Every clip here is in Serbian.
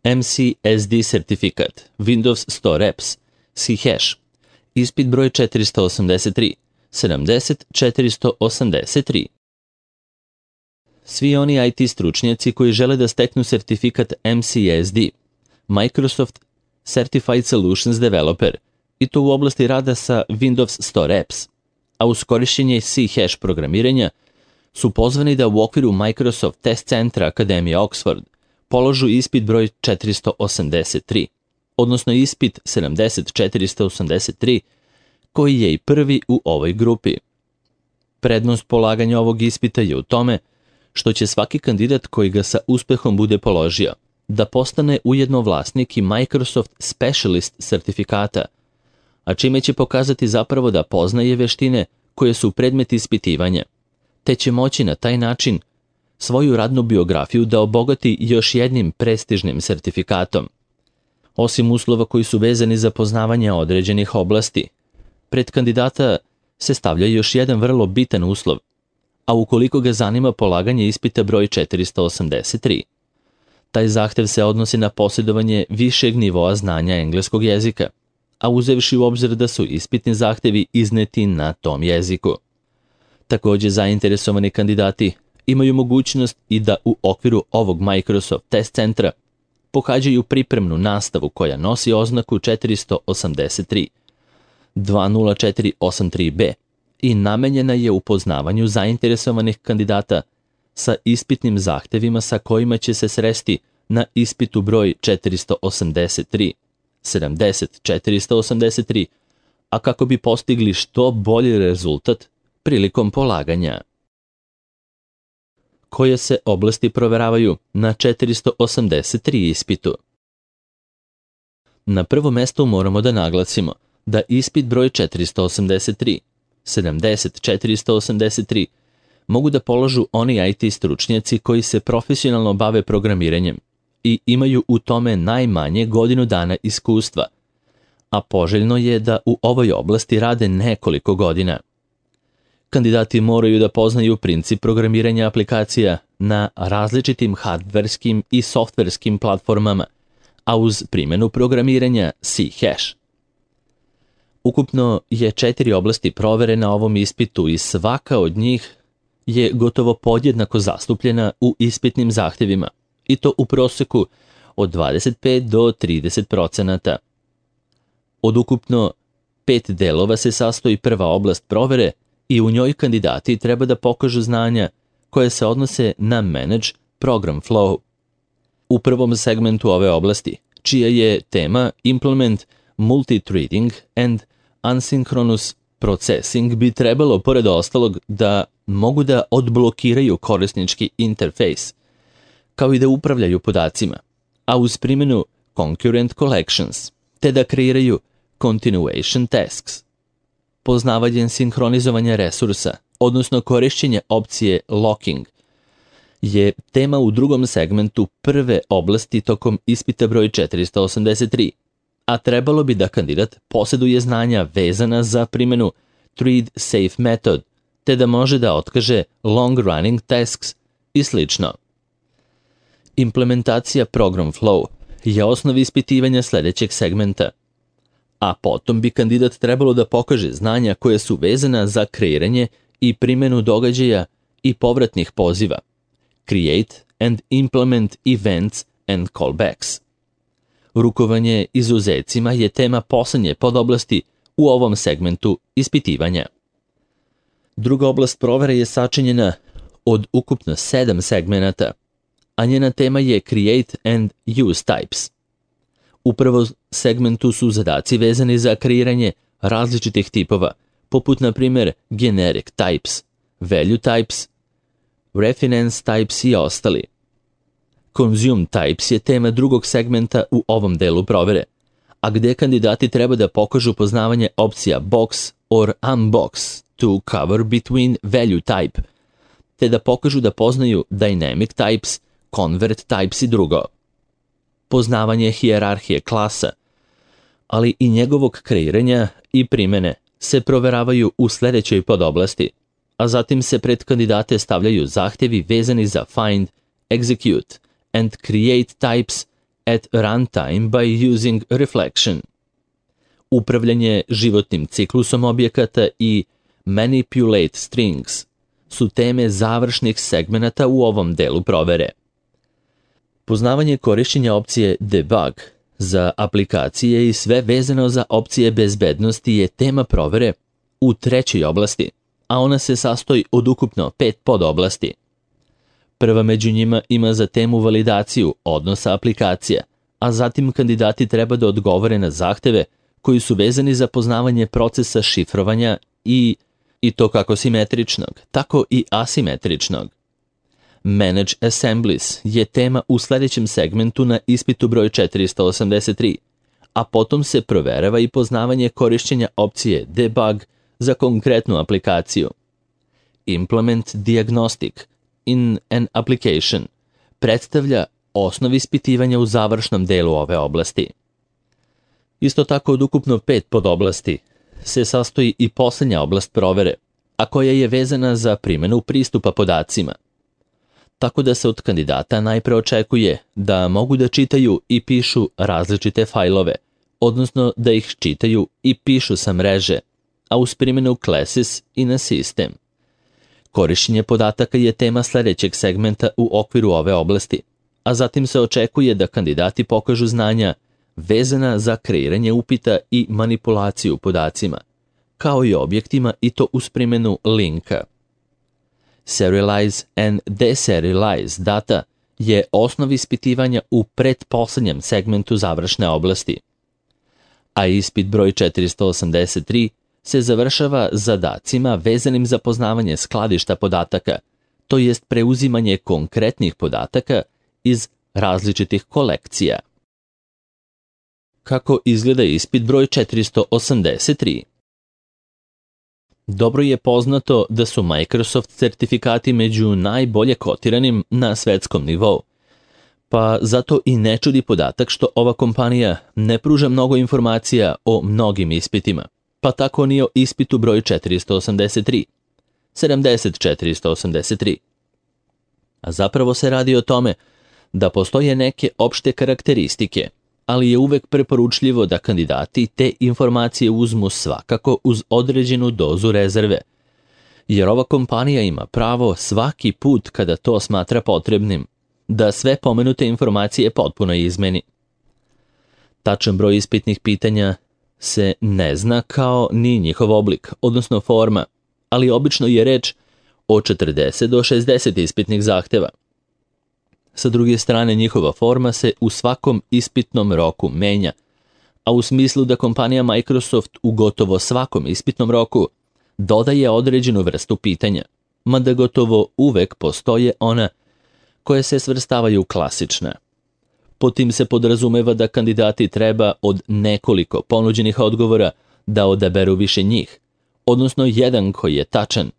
MCSD sertifikat, Windows Store Apps, C-Hash, ispit broj 483, 70483. Svi oni IT stručnjaci koji žele da steknu sertifikat MCSD, Microsoft Certified Solutions Developer, i to u oblasti rada sa Windows Store Apps, a uz korišćenje C-Hash programiranja, su pozvani da u okviru Microsoft Test Centra Akademije Oxford položu ispit broj 483, odnosno ispit 70483, koji je i prvi u ovoj grupi. Prednost polaganja ovog ispita je u tome što će svaki kandidat koji ga sa uspehom bude položio da postane ujedno vlasnik i Microsoft Specialist sertifikata, a čime će pokazati zapravo da poznaje veštine koje su predmet ispitivanja, te će moći na taj način svoju radnu biografiju da obogati još jednim prestižnim sertifikatom. Osim uslova koji su vezani za poznavanje određenih oblasti, pred kandidata se stavlja još jedan vrlo bitan uslov, a ukoliko ga zanima polaganje ispita broj 483. Taj zahtev se odnosi na posjedovanje višeg nivoa znanja engleskog jezika, a uzevši u obzir da su ispitni zahtevi izneti na tom jeziku. Također, zainteresovani kandidati imaju mogućnost i da u okviru ovog Microsoft Test Centra pohađaju pripremnu nastavu koja nosi oznaku 483 20483B i namenjena je upoznavanju zainteresovanih kandidata sa ispitnim zahtevima sa kojima će se sresti na ispitu broj 483, 70483, a kako bi postigli što bolji rezultat prilikom polaganja. Koje se oblasti proveravaju na 483 ispitu? Na prvo mesto moramo da naglasimo da ispit broj 483, 70483, mogu da položu oni IT stručnjaci koji se profesionalno bave programiranjem i imaju u tome najmanje godinu dana iskustva, a poželjno je da u ovoj oblasti rade nekoliko godina. Kandidati moraju da poznaju princip programiranja aplikacija na različitim hardverskim i softverskim platformama, a uz primjenu programiranja C-Hash. Ukupno je 4 oblasti provere na ovom ispitu i svaka od njih je gotovo podjednako zastupljena u ispitnim zahtevima, i to u proseku od 25 do 30%. Od ukupno 5 delova se sastoji prva oblast provere i u njoj kandidati treba da pokažu znanja koje se odnose na Manage Program Flow. U prvom segmentu ove oblasti, čija je tema Implement Multithreading and Asynchronous Processing, bi trebalo, pored ostalog, da mogu da odblokiraju korisnički interfejs, kao i da upravljaju podacima, a uz primjenu Concurrent Collections, te da kreiraju Continuation Tasks. Poznavanje sinhronizovanja resursa, odnosno korišćenje opcije Locking, je tema u drugom segmentu prve oblasti tokom ispita broj 483, a trebalo bi da kandidat posjeduje znanja vezana za primjenu Thread Safe Method, te da može da otkaže Long Running Tasks i sl. Implementacija Program Flow je osnov ispitivanja sljedećeg segmenta, a potom bi kandidat trebalo da pokaže znanja koje su vezana za kreiranje i primjenu događaja i povratnih poziva, Create and Implement Events and Callbacks. Rukovanje izuzecima je tema posljednje podoblasti u ovom segmentu ispitivanja. Druga oblast provere je sačinjena od ukupno 7 segmenata, a njena tema je Create and Use Types. U prvom segmentu su zadaci vezani za kreiranje različitih tipova, poput na primjer Generic Types, Value Types, Reference Types i ostali. Consume Types je tema drugog segmenta u ovom delu provere, a gdje kandidati treba da pokažu poznavanje opcija Box or Unbox to cover between Value Type, te da pokažu da poznaju Dynamic Types, Convert Types i drugo. Poznavanje hijerarhije klasa, ali i njegovog kreiranja i primjene se proveravaju u sljedećoj podoblasti, a zatim se pred kandidate stavljaju zahtjevi vezani za Find, Execute and Create Types at runtime by using reflection. Upravljanje životnim ciklusom objekata i manipulate strings su teme završnih segmenata u ovom delu provere. Poznavanje korišćenja opcije debug za aplikacije i sve vezano za opcije bezbednosti je tema provere u trećoj oblasti, a ona se sastoji od ukupno 5 podoblasti. Prva među njima ima za temu validaciju odnosa aplikacija, a zatim kandidati treba da odgovore na zahteve koji su vezani za poznavanje procesa šifrovanja i to kako simetričnog, tako i asimetričnog. Manage Assemblies je tema u sljedećem segmentu na ispitu broj 483, a potom se proverava i poznavanje korišćenja opcije Debug za konkretnu aplikaciju. Implement Diagnostic in an application predstavlja osnov ispitivanja u završnom delu ove oblasti. Isto tako od ukupno 5 podoblasti se sastoji i posljednja oblast provere, a koja je vezana za primjenu pristupa podacima. Tako da se od kandidata najpre očekuje da mogu da čitaju i pišu različite fajlove, odnosno da ih čitaju i pišu sa mreže, a uz primjenu classes i na sistem. Korišćenje podataka je tema sljedećeg segmenta u okviru ove oblasti, a zatim se očekuje da kandidati pokažu znanja vezana za kreiranje upita i manipulaciju podacima, kao i objektima i to uz primjenu linka. Serialize and deserialize data je osnov ispitivanja u pretposlednjem segmentu završne oblasti. A ispit broj 483 se završava zadacima vezanim za poznavanje skladišta podataka, to jest preuzimanje konkretnih podataka iz različitih kolekcija. Kako izgleda ispit broj 483? Dobro je poznato da su Microsoft certifikati među najbolje kotiranim na svetskom nivou, pa zato i ne čudi podatak što ova kompanija ne pruža mnogo informacija o mnogim ispitima, pa tako ni o ispitu broj 483. A zapravo se radi o tome da postoje neke opšte karakteristike, ali je uvek preporučljivo da kandidati te informacije uzmu svakako uz određenu dozu rezerve, jer ova kompanija ima pravo svaki put kada to smatra potrebnim da sve pomenute informacije potpuno izmeni. Tačan broj ispitnih pitanja se ne zna kao ni njihov oblik, odnosno forma, ali obično je reč o 40 do 60 ispitnih zahteva. Sa druge strane, njihova forma se u svakom ispitnom roku menja, a u smislu da kompanija Microsoft u gotovo svakom ispitnom roku dodaje određenu vrstu pitanja, mada gotovo uvek postoje ona koje se svrstavaju u klasična. Pod tim se podrazumeva da kandidati treba od nekoliko ponuđenih odgovora da odaberu više njih, odnosno jedan koji je tačan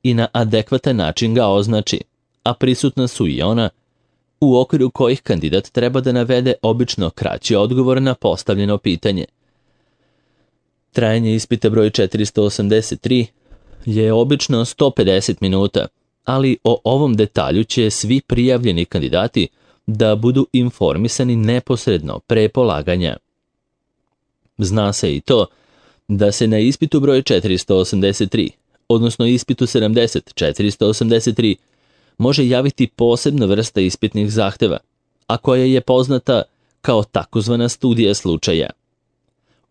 i na adekvatan način ga označi, a prisutna su i ona u okviru kojih kandidat treba da navede obično kraći odgovor na postavljeno pitanje. Trajanje ispita broj 483 je obično 150 minuta, ali o ovom detalju će svi prijavljeni kandidati da budu informisani neposredno pre polaganja. Zna se i to da se na ispitu broj 483, odnosno ispitu 70-483, može javiti posebna vrsta ispitnih zahteva, a koja je poznata kao takozvana studija slučaja.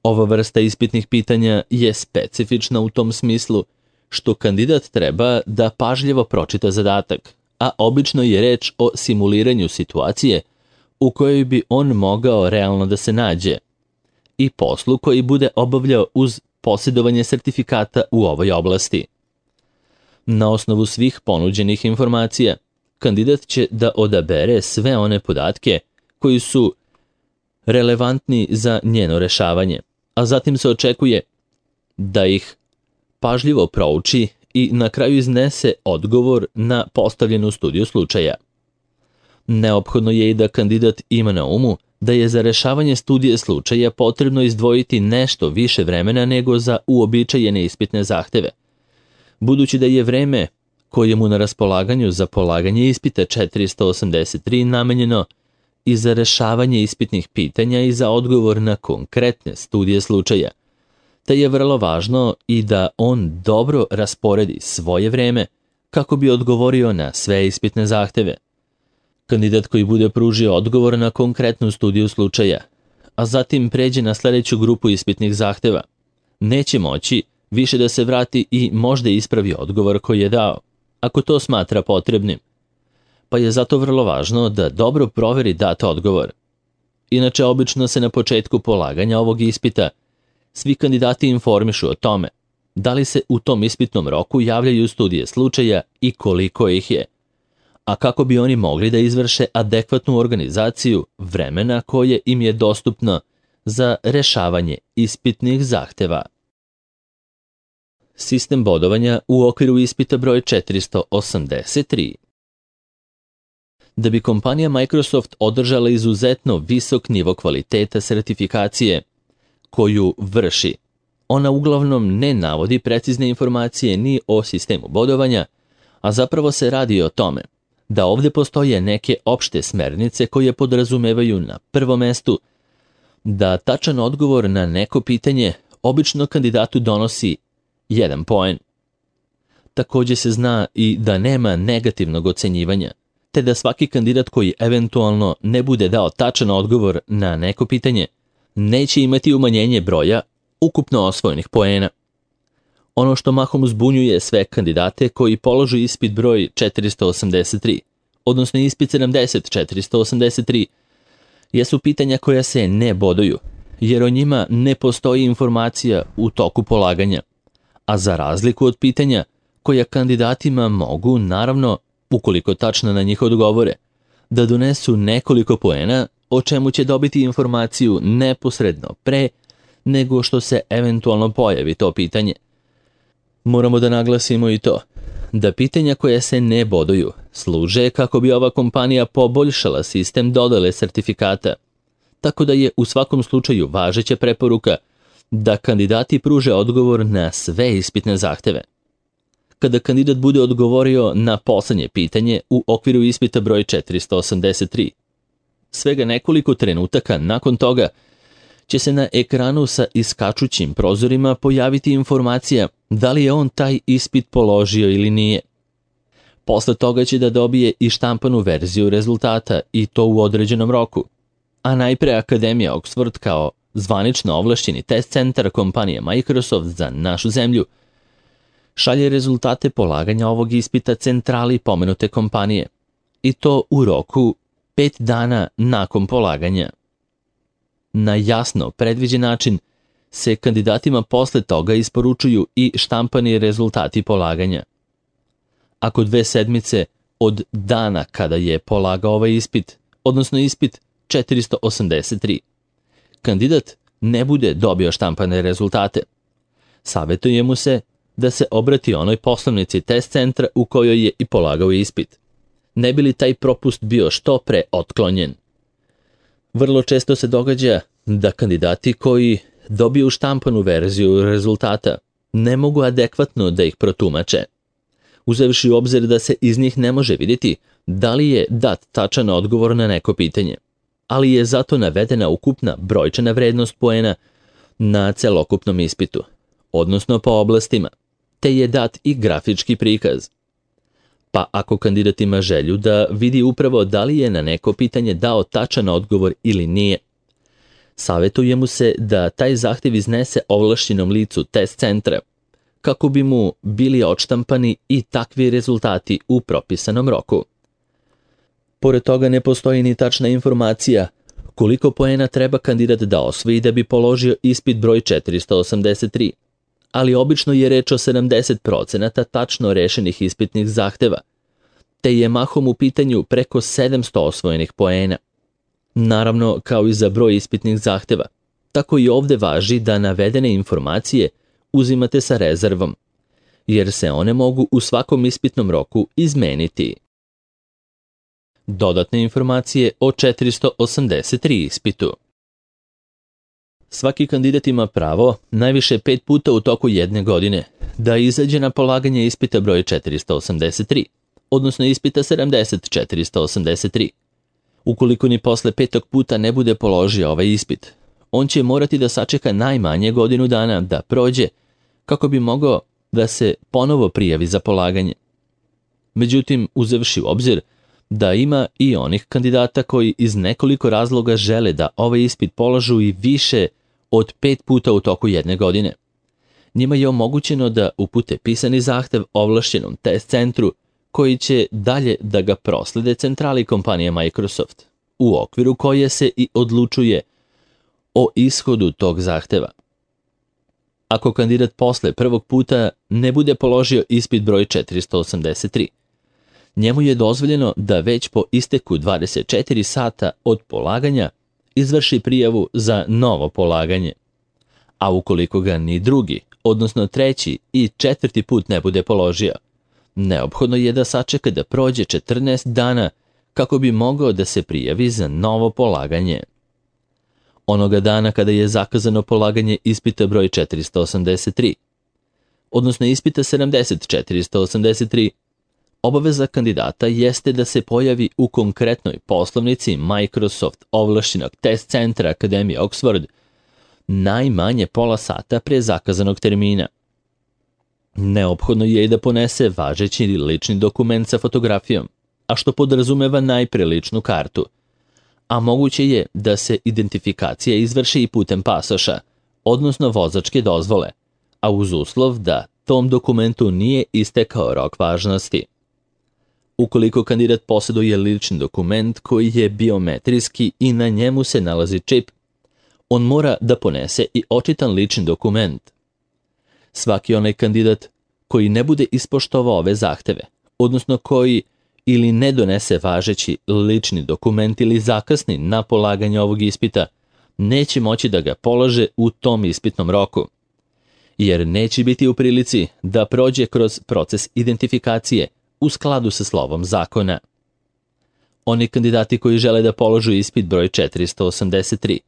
Ova vrsta ispitnih pitanja je specifična u tom smislu što kandidat treba da pažljivo pročita zadatak, a obično je reč o simuliranju situacije u kojoj bi on mogao realno da se nađe i poslu koji bude obavljao uz posjedovanje sertifikata u ovoj oblasti. Na osnovu svih ponuđenih informacija, kandidat će da odabere sve one podatke koji su relevantni za njeno rešavanje, a zatim se očekuje da ih pažljivo prouči i na kraju iznese odgovor na postavljenu studiju slučaja. Neophodno je i da kandidat ima na umu da je za rešavanje studije slučaja potrebno izdvojiti nešto više vremena nego za uobičajene ispitne zahteve, budući da je vreme koje mu na raspolaganju za polaganje ispita 483 namenjeno i za rešavanje ispitnih pitanja i za odgovor na konkretne studije slučaja, te je vrlo važno i da on dobro rasporedi svoje vreme kako bi odgovorio na sve ispitne zahteve. Kandidat koji bude pružio odgovor na konkretnu studiju slučaja, a zatim pređe na sledeću grupu ispitnih zahteva, neće moći više da se vrati i možda ispravi odgovor koji je dao, ako to smatra potrebnim, pa je zato vrlo važno da dobro proveri dat odgovor. Inače, obično se na početku polaganja ovog ispita svi kandidati informišu o tome da li se u tom ispitnom roku javljaju studije slučaja i koliko ih je, a kako bi oni mogli da izvrše adekvatnu organizaciju vremena koje im je dostupno za rešavanje ispitnih zahteva. Sistem bodovanja u okviru ispita broj 483. Da bi kompanija Microsoft održala izuzetno visok nivo kvaliteta sertifikacije koju vrši, ona uglavnom ne navodi precizne informacije ni o sistemu bodovanja, a zapravo se radi o tome da ovde postoje neke opšte smernice koje podrazumevaju na prvom mestu da tačan odgovor na neko pitanje obično kandidatu donosi 1 poen. Takođe se zna i da nema negativnog ocenjivanja, te da svaki kandidat koji eventualno ne bude dao tačan odgovor na neko pitanje neće imati umanjenje broja ukupno osvojenih poena. Ono što mahom zbunjuje sve kandidate koji položu ispit broj 483, odnosno ispit 483, jesu pitanja koja se ne boduju, jer o njima ne postoji informacija u toku polaganja, a za razliku od pitanja koja kandidatima mogu, naravno, ukoliko tačno na njih odgovore, da donesu nekoliko poena, o čemu će dobiti informaciju neposredno pre nego što se eventualno pojavi to pitanje. Moramo da naglasimo i to, da pitanja koja se ne boduju služe kako bi ova kompanija poboljšala sistem dodele sertifikata, tako da je u svakom slučaju važeća preporuka da kandidati pruže odgovor na sve ispitne zahteve. Kada kandidat bude odgovorio na poslednje pitanje u okviru ispita broj 483, svega nekoliko trenutaka nakon toga će se na ekranu sa iskačućim prozorima pojaviti informacija da li je on taj ispit položio ili nije. Posle toga će da dobije i štampanu verziju rezultata i to u određenom roku, a najpre Akademija Oxford kao zvanično ovlašćeni test centar kompanije Microsoft za našu zemlju šalje rezultate polaganja ovog ispita centrali pomenute kompanije, i to u roku 5 dana nakon polaganja. Na jasno predviđen način se kandidatima posle toga isporučuju i štampani rezultati polaganja. Ako 2 sedmice od dana kada je polagao ovaj ispit, odnosno ispit 483, kandidat ne bude dobio štampane rezultate, savetuje mu se da se obrati onoj poslovnici test centra u kojoj je i polagao ispit, ne bi li taj propust bio što pre otklonjen. Vrlo često se događa da kandidati koji dobiju štampanu verziju rezultata ne mogu adekvatno da ih protumače, uzevši u obzir da se iz njih ne može vidjeti da li je dat tačan odgovor na neko pitanje, ali je zato navedena ukupna brojčana vrednost poena na celokupnom ispitu, odnosno po oblastima, te je dat i grafički prikaz. Pa ako kandidat ima želju da vidi upravo da li je na neko pitanje dao tačan odgovor ili nije, savetuje mu se da taj zahtev iznese ovlašćenom licu test centra, kako bi mu bili odštampani i takvi rezultati u propisanom roku. Pored toga ne postoji ni tačna informacija koliko poena treba kandidat da osvoji da bi položio ispit broj 483, ali obično je reč o 70% tačno rešenih ispitnih zahteva, te je mahom u pitanju preko 700 osvojenih poena. Naravno, kao i za broj ispitnih zahteva, tako i ovde važi da navedene informacije uzimate sa rezervom, jer se one mogu u svakom ispitnom roku izmeniti. Dodatne informacije o 483 ispitu. Svaki kandidat ima pravo, najviše 5 puta u toku jedne godine, da izađe na polaganje ispita broj 483, odnosno ispita 483. Ukoliko ni posle 5. puta ne bude položio ovaj ispit, on će morati da sačeka najmanje godinu dana da prođe kako bi mogao da se ponovo prijavi za polaganje. Međutim, uzevši u obzir da ima i onih kandidata koji iz nekoliko razloga žele da ovaj ispit polažu i više od 5 puta u toku jedne godine, njima je omogućeno da upute pisani zahtev ovlašćenom test centru koji će dalje da ga proslede centrali kompanije Microsoft, u okviru koje se i odlučuje o ishodu tog zahteva. Ako kandidat posle prvog puta ne bude položio ispit broj 483, njemu je dozvoljeno da već po isteku 24 sata od polaganja izvrši prijavu za novo polaganje. A ukoliko ga ni drugi, odnosno treći i četvrti put ne bude položio, neophodno je da sačeka da prođe 14 dana kako bi mogao da se prijavi za novo polaganje. Onoga dana kada je zakazano polaganje ispita broj 483, odnosno ispita 483, obaveza kandidata jeste da se pojavi u konkretnoj poslovnici Microsoft ovlašćenog test centra Akademije Oxford najmanje pola sata pre zakazanog termina. Neophodno je i da ponese važeći lični dokument sa fotografijom, a što podrazumeva najpre ličnu kartu, a moguće je da se identifikacija izvrši i putem pasoša, odnosno vozačke dozvole, a uz uslov da tom dokumentu nije istekao rok važnosti. Ukoliko kandidat posjeduje lični dokument koji je biometrijski i na njemu se nalazi čip, on mora da ponese i očitan lični dokument. Svaki onaj kandidat koji ne bude ispoštovao ove zahteve, odnosno koji ili ne donese važeći lični dokument ili zakasni na polaganje ovog ispita, neće moći da ga polože u tom ispitnom roku, jer neće biti u prilici da prođe kroz proces identifikacije u skladu sa slovom zakona. Oni kandidati koji žele da položu ispit broj 483,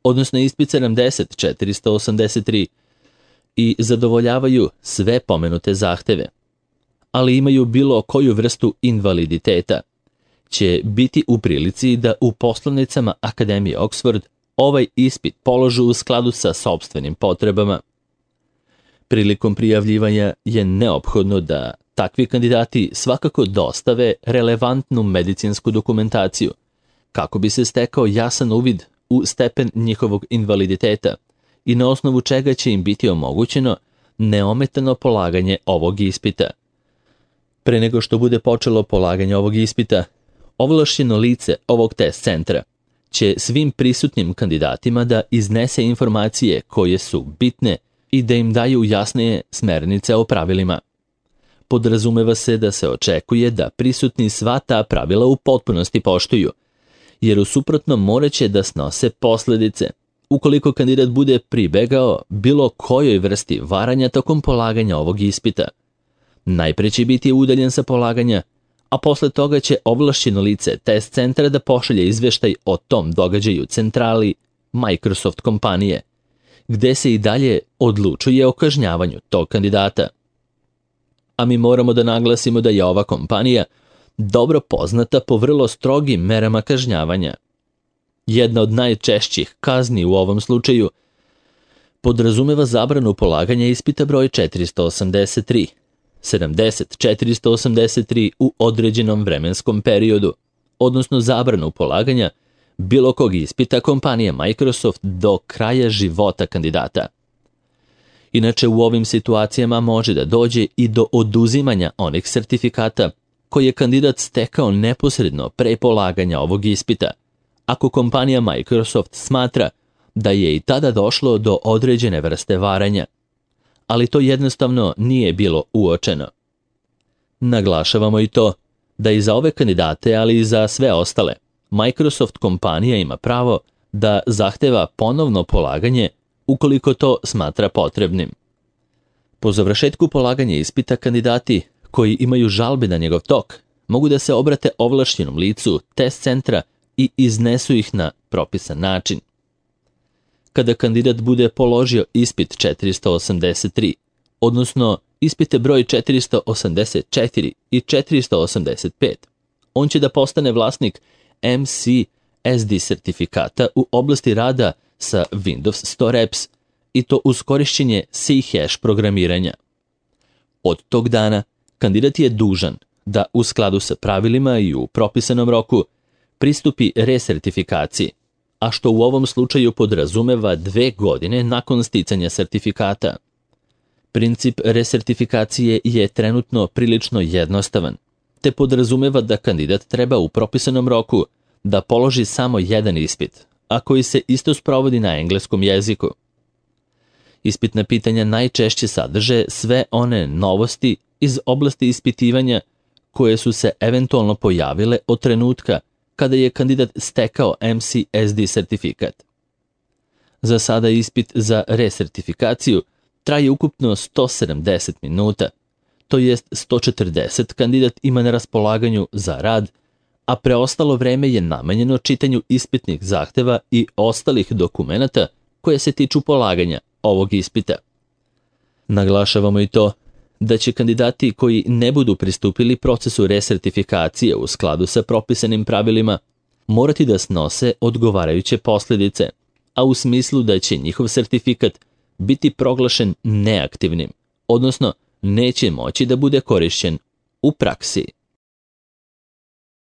odnosno ispit 483 i zadovoljavaju sve pomenute zahteve, ali imaju bilo koju vrstu invaliditeta, će biti u prilici da u poslovnicama Akademije Oxford ovaj ispit položu u skladu sa sopstvenim potrebama. Prilikom prijavljivanja je neophodno da takvi kandidati svakako dostave relevantnu medicinsku dokumentaciju, kako bi se stekao jasan uvid u stepen njihovog invaliditeta i na osnovu čega će im biti omogućeno neometano polaganje ovog ispita. Pre nego što bude počelo polaganje ovog ispita, ovlašćeno lice ovog test centra će svim prisutnim kandidatima da iznese informacije koje su bitne i da im daju jasnije smernice o pravilima. Podrazumeva se da se očekuje da prisutni sva ta pravila u potpunosti poštuju, jer u suprotnom moraće da snose posledice ukoliko kandidat bude pribegao bilo kojoj vrsti varanja tokom polaganja ovog ispita. Najpre će biti udaljen sa polaganja, a posle toga će ovlašćeno lice test centra da pošalje izveštaj o tom događaju centrali Microsoft kompanije, gde se i dalje odlučuje o kažnjavanju tog kandidata. A mi moramo da naglasimo da je ova kompanija dobro poznata po vrlo strogim merama kažnjavanja. Jedna od najčešćih kazni u ovom slučaju podrazumeva zabranu polaganja ispita broj 483 u određenom vremenskom periodu, odnosno zabranu polaganja bilo kog ispita kompanije Microsoft do kraja života kandidata. Inače, u ovim situacijama može da dođe i do oduzimanja onih sertifikata koje je kandidat stekao neposredno pre polaganja ovog ispita, ako kompanija Microsoft smatra da je i tada došlo do određene vrste varanja, ali to jednostavno nije bilo uočeno. Naglašavamo i to da i za ove kandidate, ali i za sve ostale, Microsoft kompanija ima pravo da zahteva ponovno polaganje ukoliko to smatra potrebnim. Po završetku polaganja ispita kandidati koji imaju žalbe na njegov tok mogu da se obrate ovlašćenom licu test centra i iznesu ih na propisan način. Kada kandidat bude položio ispit 483, odnosno ispite broj 484 i 485, on će da postane vlasnik MC SD sertifikata u oblasti rada sa Windows Store Apps i to uz korišćenje C-hash programiranja. Od tog dana kandidat je dužan da u skladu sa pravilima i u propisanom roku pristupi resertifikaciji, a što u ovom slučaju podrazumeva 2 godine nakon sticanja sertifikata. Princip resertifikacije je trenutno prilično jednostavan, te podrazumeva da kandidat treba u propisanom roku da položi samo jedan ispit, a koji se isto sprovodi na engleskom jeziku. Ispitna pitanja najčešće sadrže sve one novosti iz oblasti ispitivanja koje su se eventualno pojavile od trenutka kada je kandidat stekao MCSD sertifikat. Za sada ispit za resertifikaciju traje ukupno 170 minuta, to jest 140 kandidat ima na raspolaganju za rad, a preostalo vreme je namenjeno čitanju ispitnih zahteva i ostalih dokumenata koje se tiču polaganja ovog ispita. Naglašavamo i to da će kandidati koji ne budu pristupili procesu resertifikacije u skladu sa propisanim pravilima morati da snose odgovarajuće posljedice, a u smislu da će njihov sertifikat biti proglašen neaktivnim, odnosno neće moći da bude korišćen u praksi.